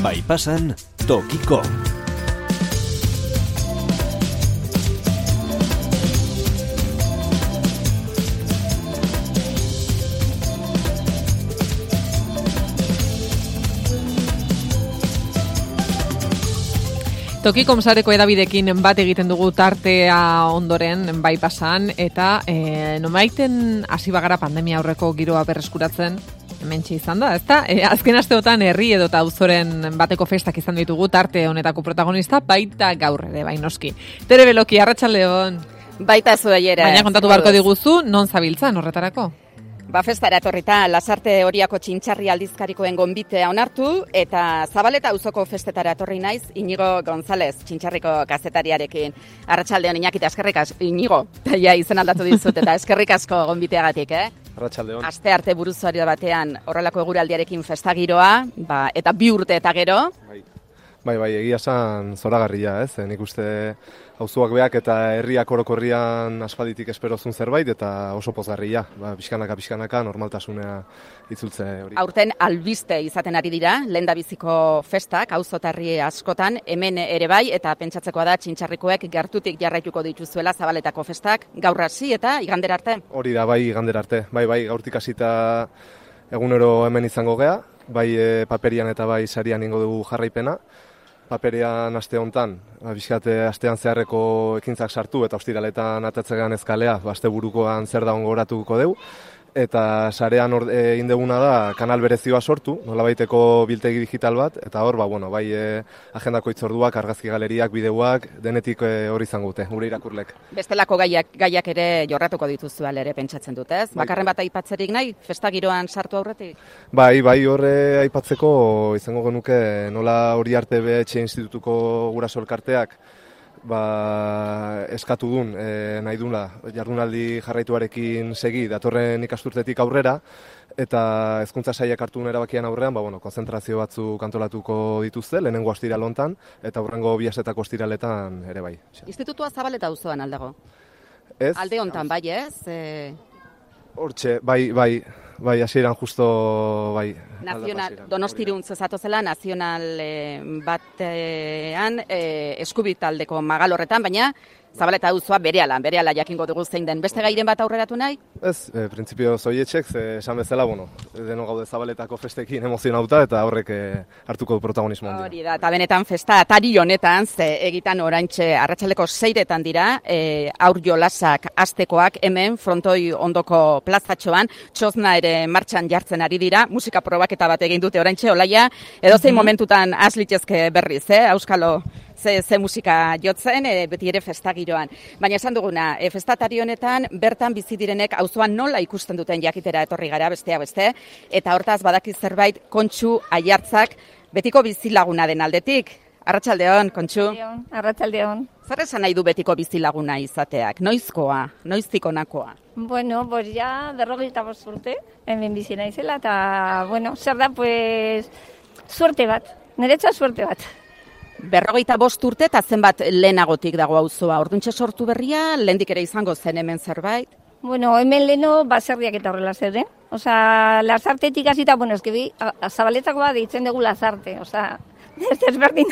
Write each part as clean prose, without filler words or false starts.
Bai pasan, tokiko. Tokikom sareko edabidekin bat egiten dugu tartea ondoren bai pasan, eta nomaiten hasi bagara pandemia aurreko giroa berreskuratzen, hementxe izan da, ezta? Azken asteotan herri edota auzoren bateko festak izan ditugu tarte honetako protagonista, baita gaur ere, bai noski. Tere Beloki, arratsaldeon. Baita zuei ere. Baina kontatu barko diguzu, non zabiltzan horretarako? Festara etorrita Lasarte Oriako Txintxarri aldizkarikoen gonbitea onartu eta Zabaleta auzoko festetara etorri naiz Inigo González Txintxarriko kazetariarekin. Arratsaldeon Iñaki, eskerrik asko Inigo. Ja izen aldatu dizut eta eskerrik asko gonbiteagatik, Arratsaldeon. Aste arte buruzaari batean horrelako eguraldiarekin festagiroa, eta 2 urte eta gero. Bai, egia esan zoragarria, ez? Nik uste auzoak beak eta herriak orokorrian aspalditik esperozun zerbait eta oso pozgarria. Pixkanaka normaltasunea itzultze hori. Aurten albiste izaten ari dira, lehendabiziko festak, auzo eta herri askotan, hemen ere bai, eta pentsatzekoa da Txintxarrikoek gertutik jarraituko dituzuela Zabaletako festak, gaur hasi eta igandera arte. Hori da, bai, igandera arte. Bai, gaurtik hasita egunero hemen izango gea, bai paperian eta bai sarian ingo dugu jarraipena. Paperean aste hontan, astean zeharreko ekintzak sartu eta ostiraletan atatzegan ezkalea, asteburukoan zer da ongoratuko dugu. Eta sarean egin duguna da kanal berezioa sortu, nolabaiteko biltegi digital bat, eta hor, bai agendako hitzorduak, argazki galeriak, bideoak, denetik hori izango dute, gure irakurlek. Bestelako gaiak ere jorratuko dituzu ere pentsatzen dut, ez? Bakarren bat aipatzerik nahi, festagiroan sartu aurretik? Bai, horre aipatzeko izango genuke nola hori arte BH Institutuko guraso elkarteak eskatu dun, nahi duna, jardunaldi jarraituarekin segi datorren ikasturtetik aurrera, eta hezkuntza sailak hartu duen erabakian aurrean, konzentrazio batzuk antolatuko dituzte, lehenengo ostiral hontan, eta hurrengo biasetako ostiraletan ere bai. Institutua Zabaleta auzoan aldago? Ez. Alde hontan, bai ez? Hortxe, bai, hasieran justo, bai. Donostirun zezatozela, nazional batean eskubitaldeko magal horretan, baina Zabaleta auzoa berehala jakingo dugu zein den. Beste gairen bat aurreratu nahi? Ez, printzipio zoietxek, esan bezala, deno gaude Zabaletako festekin emozionauta eta horrek hartuko du protagonismo handia. Hori da, eta benetan festa atari honetan, egitan oraintxe arratsaldeko 6etan dira, aur jolasak astekoak hemen frontoi ondoko plazatxoan, txozna ere martxan jartzen ari dira, musika probaketa bat egin dute oraintxe, olaia, edozein momentutan aslitezke berriz, auskalo ze musika jotzen, beti ere festagiroan. Baina esan duguna, festatari honetan, bertan bizi direnek auzoan nola ikusten duten jakitera etorri gara beste, eta hortaz badaki zerbait Kontxu Aiartzak betiko bizilaguna den aldetik. Arratsaldeon, Kontxu. Arratsaldeon. Zer esan nahi du betiko bizilaguna izateak? Noizkoa? Noiztik honakoa? Bueno, ja 45 urte, hemen bizi naizela, eta, zer da, suerte bat, niretzat suerte bat. 45 urte eta zenbat lehenagotik dago auzoa? Orduntxe sortu berria, lehendik ere izango zen hemen zerbait? Hemen leheno baserriak eta horrela zeuden. Lasartetik hasita, Zabaletakoa deitzen dugu Lasarte. Ez desberdin.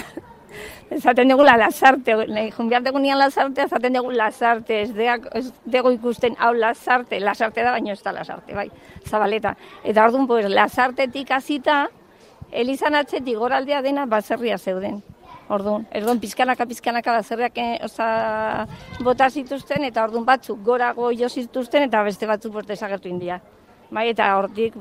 Esaten dugu Lasarte. Junbiar dugu nian Lasarte, esaten dugu Lasarte. Ez dugu ikusten hau Lasarte. Lasarte da, baina ez da Lasarte, bai. Zabaleta. Eta orduan, Lasartetik hasita, Elizan atzetik goraldea dena baserria zeuden. Orduan, pizkanaka baserriak bota zituzten, eta orduan batzuk gorago jo zituzten, eta beste batzuk desagertu india. Bai, eta hortik,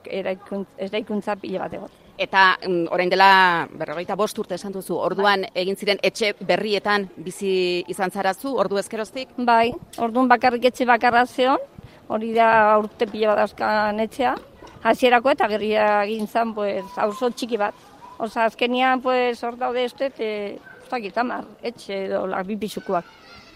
eraikuntza pile bat egot. Eta orain dela 45 urte esan duzu, orduan egin ziren etxe berrietan bizi izan zarazu, ordu ezkeroztik? Bai, orduan bakarrik etxe bakarra zeon, hori da urte pile bat dauzkan etxea, hasierako eta gerria egin zan, auzo txiki bat. Azkenian, hor daude ez dut, etxe edo bipisukoak.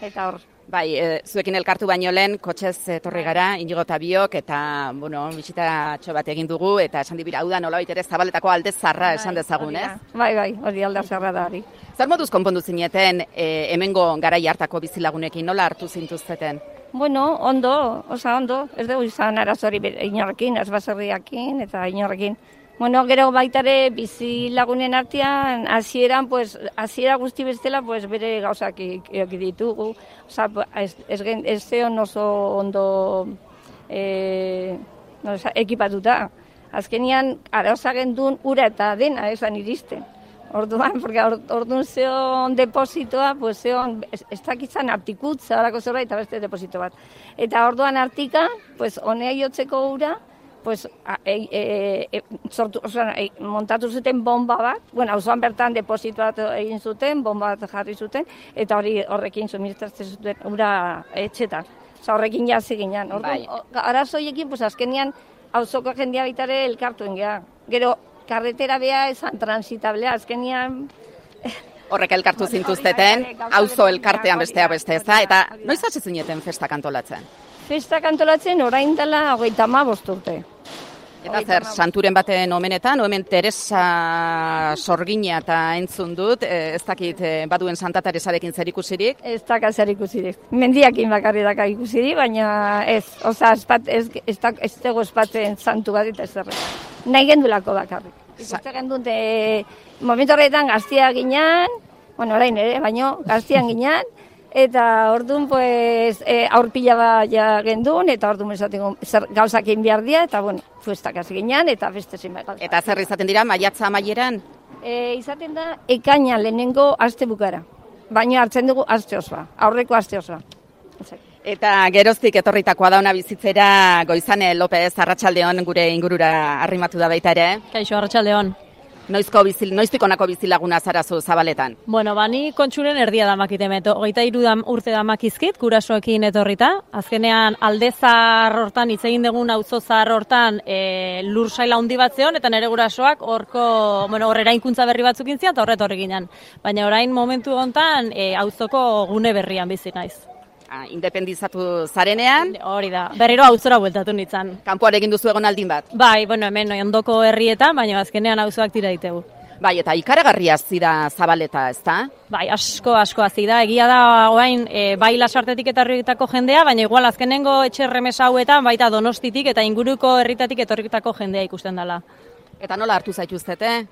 Eta hor. Bai, zuekin elkartu baino lehen, kotxez etorri gara, Inigo eta biok, eta, bisitatxo bat egin dugu, eta esan dibira, hau da nolabait ere Zabaletako alde zarra esan dezagun, ez? Bai, hori alde zarra da hori. Zer moduz konpondu zineten, hemengo garai hartako bizilagunekin, nola hartu zintuzteten? Ondo, ez dugu izan arazori inorrekin, ez baserriakin, eta inorrekin. Bueno, gero baitare bizi lagunen artean, hasieran, pues, hasiera guzti bestela, pues, bere gauzak eki ditugu. Osa, ez zeon oso ondo ekipatuta. Azkenian, arazoa gendun ura eta dena esan iristen. Orduan, porque orduan zeon depositoa, pues zeon, ez dakitzan artikutza, horako zerbait, eta beste deposito bat. Eta orduan artika, pues, honea jotzeko ura, pues, montatu zuten bomba bat, bueno, auzoan bertan deposito bat egin zuten, bomba bat jarri zuten, eta horrekin suministratzen zuten ura etxetan. Osa, horrekin jazi ginen. Arazoiekin, pues, azkenian, auzoko jendea baitare elkartuen geha. Gero, karretera beha esan transitablea, azkenian... Horrek elkartu zintuzteten, auzo elkartean bestea beste, ez da? Eta noiz hasi zineten festak antolatzen? Festak antolatzen orain dela 35 urte. Eta zer, santuren baten omenetan, hemen Teresa Sorgina eta entzun dut, ez dakit baduen Santa Teresarekin zer ikusirik? Ez daka zer ikusirik. Mendiakin bakarri daka ikusirik, baina ez. Osa, ez dago espatzen santu bat eta ez zerre. Nahi gendulako bakarrik. Ikuste gendun, momentu horretan gaztia ginean, bueno, orain ere, baino, gaztian ginean, eta orduan, pues, aurpila bat gendun, eta orduan esaten gauzak egin behar dira, eta, bueno, festak hasi ginean, eta beste zein behar. Eta zer izaten dira, maiatza amaieran? Izaten da, ekaina lehenengo aste bukara. Baina hartzen dugu aste osoa, aurreko aste osoa. Eta geroztik etorritakoa dauna bizitzera Goizane López, arratsaldeon gure ingurura arrimatu da baita ere. Kaixo, arratsaldeon. Noiztik honako bizilaguna zarazu Zabaletan? Bueno, bani kontsuren erdia damakitemet, 23 urte damakizkit, gurasoekin etorrita. Azkenean aldezar hortan, hitz egin dugun auzo zahar hortan lur saila handi bat zeon, eta nire gurasoak horrera inkuntza berri batzuk intzian, eta horret horri ginen. Baina orain momentu hontan auzoko gune berrian bizi naiz. Independizatu zarenean? Hori da, berriro auzora bueltatu nintzen. Kanpoan egin duzu egon aldin bat? Bai, hemen ondoko herrietan, baina azkenean auzoak tira ditegu. Bai, eta ikaragarria zira Zabaleta, ezta? Bai, asko hazi da. Egia da, orain, bai Lasartetik eta herrietako jendea, baina igual azkenengo etxerremesa hauetan, baita Donostitik eta inguruko herritatik etorritako jendea ikusten dela. Eta nola hartu zaituztete,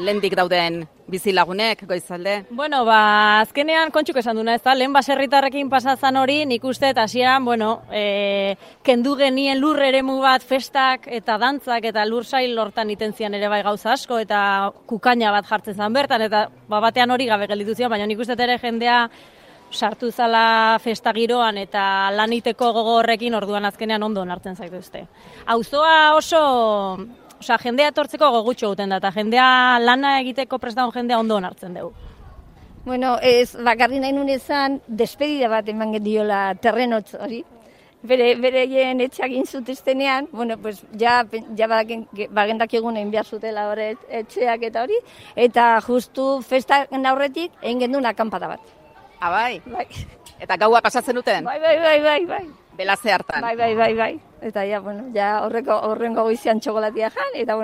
lehendik dauden bizilagunek, Goizalde? Bueno, azkenean kontsuk esan duna, ez da, lehen baserritarrekin pasazan hori, nik uste, eta hasieran, kendu genien lur eremu bat, festak eta dantzak eta lur sail hortan itenzian ere bai gauza asko, eta kukaina bat jartzen zen bertan, eta batean hori gabe gelditu zion, baina nik uste ere jendea sartu zala festa giroan eta laniteko gogo horrekin orduan azkenean ondo hartzen zaituzte. Auzoa oso... jendea etortzeko gogutxo guten da, eta jendea lana egiteko prestaun jendea ondo hartzen dugu. Bueno, bakarri nahi nun ezan, despedida bat eman diola terrenotz hori. Bereien etxeak inzutiztenean, bueno, pues, bagendak egun egin behar zutela hori etxeak eta hori, eta justu festa aurretik egin gendun akampada bat. Bai? Bai. Eta gaua pasatzen duten? Bai. Belaze hartan? Bai. Eta horrengo goizian txokolatia jan, eta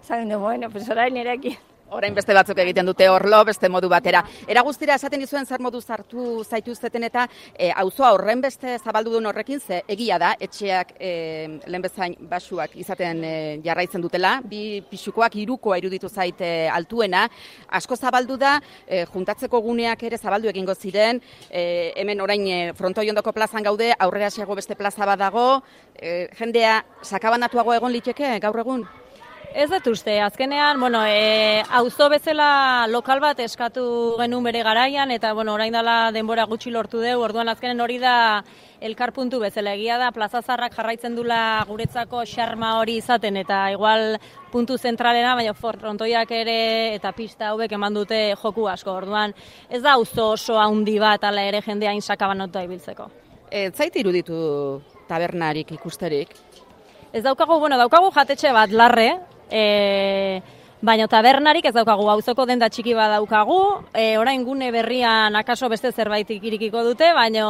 zaten du, pues orain erekin. Orain beste batzuk egiten dute orlo, beste modu batera. Era guztira esaten dizuen zer modu zartu zaituzteten eta auzoa horren beste zabaldu duen horrekin, ze egia da, etxeak lehen bezain basuak izaten jarraitzen dutela, 2 pixukoak 3koa iruditu zaite altuena, asko zabaldu da, juntatzeko guneak ere zabaldu egingo ziren, hemen orain frontoi ondoko plazan gaude, aurrera xego beste plaza bat dago, jendea sakabanatuago egon liteke gaur egun? Ez dut uste, azkenean, auzo bezala lokal bat eskatu genuen bere garaian, eta orain dela denbora gutxi lortu dugu, orduan azkenen hori da elkarpuntu bezala. Egia da, Plaza Zarrak jarraitzen dula guretzako xarma hori izaten, eta igual puntu zentralena, baina frontoiak ere eta pista hauek eman dute joku asko, orduan ez da auzo oso handi bat, ala ere jendea insakabanotua ibiltzeko. Zait iruditu tabernarik ikusterik? Ez daukagu jatetxe bat larre, baina tabernarik ez daukagu, auzoko denda txiki bat daukagu, orain gune berrian akaso beste zerbait irikiko dute, baina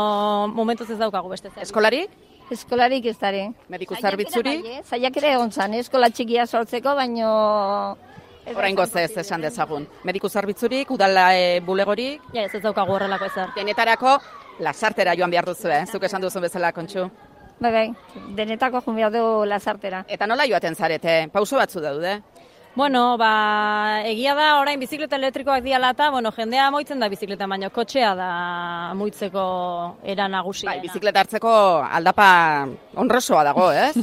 momentuz ez daukagu beste zerbait. Eskolarik? Eskolarik ez dara. Mediku zerbitzuri? Zaiak ere egon zan, eskola txikia sortzeko, baina... Orain gozez esan dezagun. Mediku zerbitzurik, udala bulegorik? Ja, ez daukagu horrelako ezer. Denetarako, Lasartera joan behar duzu, zuk esan duzun bezala, Kontxu. Bai, denetako joan behar dugu Lasartera. Eta nola joaten zarete? Pauso batzu daude? Bueno, egia da orain bizikleta elektrikoak diala eta, jendea moitzen da bizikleta, baina kotxea da moitzeko era nagusiena. Bizikleta hartzeko aldapa onrosoa dago, ez?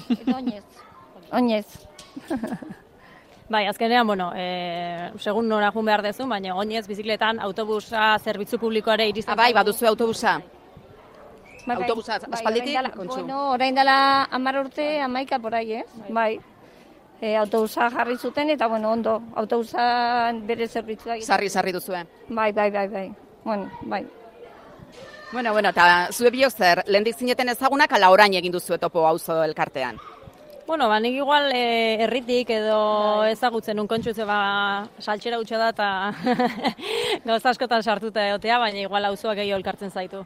Oinez. Azkenean, segun nora jun behar dezu, baina oinez bizikletan autobusa zerbitzu publikoare iristen. Baduzu autobusa. Autobusa aspalditik, Kontxu? Orain dela 10 urte, 11 porai, Bai. Autobusa jarri zuten eta, ondo, autobusa bere zerbitzua. Sarri duzue. Bai. Bai. Eta zue biok zer, lehendik zineten ezagunak ala orain egin duzu topo auzo elkartean? Nik igual herritik edo ezagutzen nun Kontxu, saltxera utxe da eta gauza askotan sartuta egotea, baina igual auzoak gehiago elkartzen zaitu.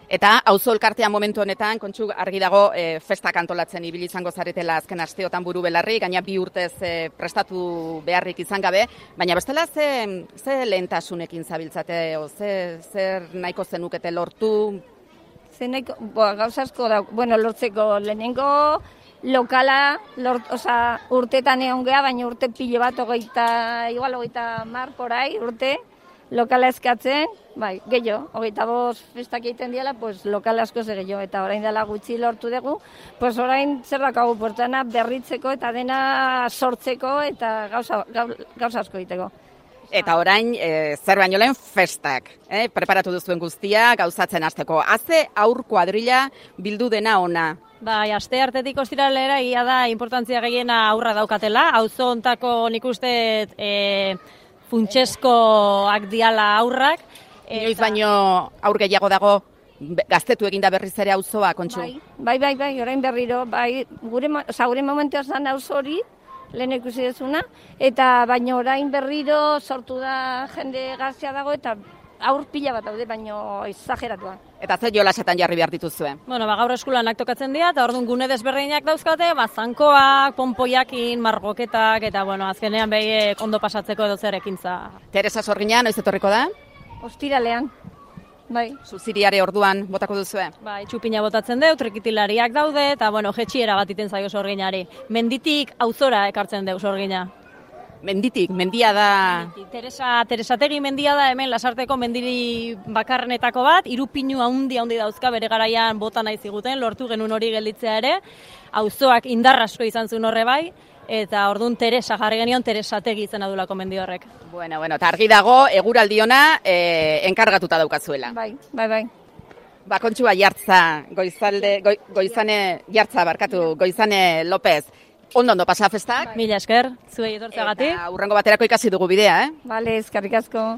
Eta auzo elkartean momentu honetan, Kontxu, argi dago festak antolatzen ibili izango zaretela azken asteotan buru belarri, gaina 2 urtez prestatu beharrik izan gabe, baina bestela ze lehentasunekin zabiltzate, zer nahiko zenukete lortu? Gauza asko da, lortzeko lehenengo lokala, urtetan egon geha, baina urte pilo bat, 30 porai urte, lokala eskatzen, gehiago, 25 festak egiten diala, lokala asko ze gehiago, eta orain dela gutxi lortu dugu, orain zerrakagu portana berritzeko eta dena sortzeko eta gauza asko egiteko. Eta orain, zer baino lehen festak, preparatu duzuen guztia, gauzatzen hasteko. Haze aur kuadrilla bildu dena ona. Aste hartetik ostiralera ia da importantzia gehiena aurra daukatela, auzo hontako nik uste funtsezkoak diala aurrak. Inoiz baino aur gehiago dago gaztetu eginda berriz ere auzoa, Kontxu? Bai, orain berriro, gure momentua zan auzo hori, lehen ikusi dezuna, eta baino orain berriro sortu da jende gaztea dago, eta aur pila bat daude, baino exageratua. Eta ze jolasetan jarri behar dituzue? Gaur eskulanak tokatzen dira, eta orduan gune desberdinak dauzkate, zankoak, ponpoiakin, margoketak, eta azkenean behiek ondo pasatzeko edo zer ekintza. Teresa Sorgina, noiz etorriko da? Ostiralean. Bai. Zuziriare orduan botako duzue? Txupina botatzen deu, trekitilariak daude, eta jetxiera bat iten zaio Sorginari. Menditik auzora ekartzen deu Sorgina. Menditik, mendia da... Teresategi mendia da hemen Lasarteko mendiri bakarrenetako bat, 3 pinu handi dauzka bere garaian bota nahi ziguten, lortu genuen hori gelditzea ere, auzoak indarrasko izan zuen horre bai, eta orduan Teresa jarri genion Teresategi izena duelako mendi horrek. Bueno, eta argi dago, eguraldiona enkargatuta daukazuela. Bai. Kontxua Jartza, Goizane López. Ondo pasa festak? Mila esker, zuei etortzeagatik. Eta hurrengo baterako ikasi dugu bidea, Bale, eskerrik asko.